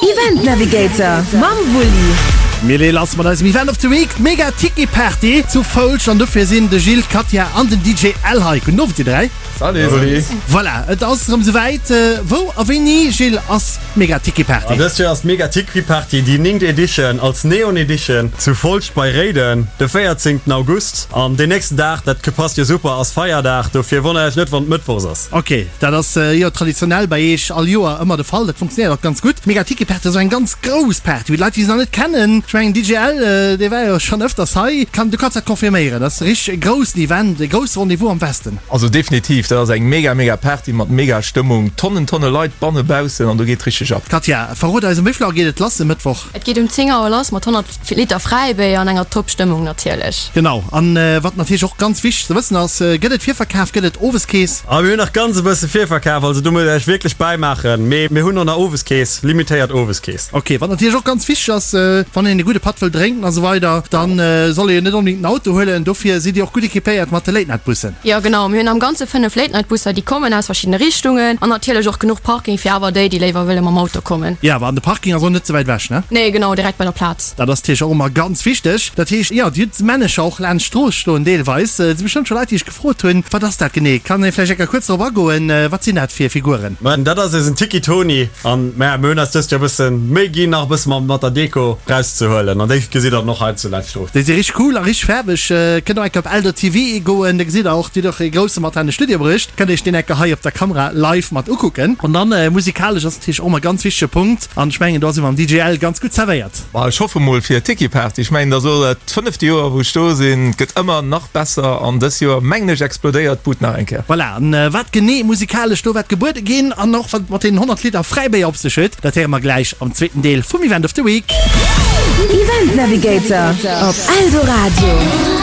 Event Navigator mam Wulli. Mir leeë lass mat eisem Event of the Week, d'Mega Tiki Party zu Foulsch an dofir sinn de Gilles, d'Katja an den DJ Al hei. Gudden Owend dir 3. Salut Wulli. Voilà, et ass erëm souwäit. Wou a wéini, Gilles, ass d'Mega Tiki Party? Dëst Joer ass d'Mega Tiki Party, déi néngt Edition, als Neon Edition zu Folscht bei Réiden de 14 August. An deen nächsten Dag, dat passt jo super, ass Feierdag, dofir wonnert iech net wann et Mëttwochs ass. Ok, dat ass jo traditionell bei iech all Joer ëmmer de Fall. Dat funktionéiert och ganz gutt. D'Mega Tiki Party ass och eng ganz grouss Party, wou d'Leit, déi se nach net kennen, ech mengen DJ Al, dee war jo schonn ëfters hei, kann, du kanns dat confirméieren, dat ass e richteg groussen Event, e grousse Rendez-vous am Westen. Also definitiv, dat ass eng mega mega Party mat mega Stëmmung, Tonnen Tonne Leit banne baussen an do geet richteg ab. Katja, verrot eis, um wéi vill Auer geet et lass e Mëttwoch? Et geet um 10 Auer lass mat 100 Liter Fräibéier an enger top Stëmmung natierlech. Genau, an wat natierlech och ganz wichteg ze wëssen ass, Gëtt et Virverkaf, gëtt et Oweskeess? Ah mir hunn nach ganz e bësse Virverkaf, also do musst der iech wierklech bäimaachen, mee mir hunn och nach Oweskeess, limitéiert Oweskeess. Ok, wat natierlech och ganz wichteg ass, wann een e gudde Patt wëll drénken a sou weider, dann soll ee jo net onbedéngt den Auto huelen, dofir sidd dir och gutt equipéiert mat de Late Night Bussen. Jo genau, mir hunn am Ganze 5 Late Night Busser, déi kommen aus verschiddene Richtungen an natierlech och genuch Parking fir awer déi, déi léiwer wëlle mam Auto kommen. Jo, awer an de Parking ass och net ze wäit ewech, ne? Nee, genau, direkt bei der Plaz. Dat ass natierlech och ëmmer ganz wichteg. Dat heescht, jo, dir hutt Männecher och laanscht d'Strooss stoen deelweis. Et si bestëmmt scho Leit, déi sech gefrot hunn, Wat ass dat genee? Kann ee vläicht eng Kéier kuerz drop agoen? Wat sinn dat fir Figuren? Mä dat ass eisen Tiki Toni an maja, mir hunn eis dëst Joer e bësse Méi ginn, nach e bësse mat der Deko rauszehuelen an déi gesitt der dann och hei zu laanscht d'Strooss. Déi si richteg cool a richteg faarweg. Kënnt och eng Kéier op Eldo-TV goen, da gesitt der och, dir hutt och ee grousse mat an de Studio bruecht. Kënnt iech deen eng Kéier hei op der Kamera live mat ukucken. An dann musikalesch ass natierlech och ëmmer e ganz wichtege Punkt an ech mengen do si mer am DJL ganz gutt zerwéiert. Ma ech hoffe mol fir Tiki Party. Ech mengen dat ass elo dat fënnefte Joer wou ech do sinn. Et gëtt ëmmer nach besser an dës Joer mengen ech explodéiert d'Bud nach eng Kéier. Voilà, an wat genee musikalesch do wäert gebuede ginn an och wat et mat deenen 100 Liter Fräibéier op sech huet, dat héiere mer gläich am zweeten Deel vum Event of the Week. Event Navigator op Eldoradio.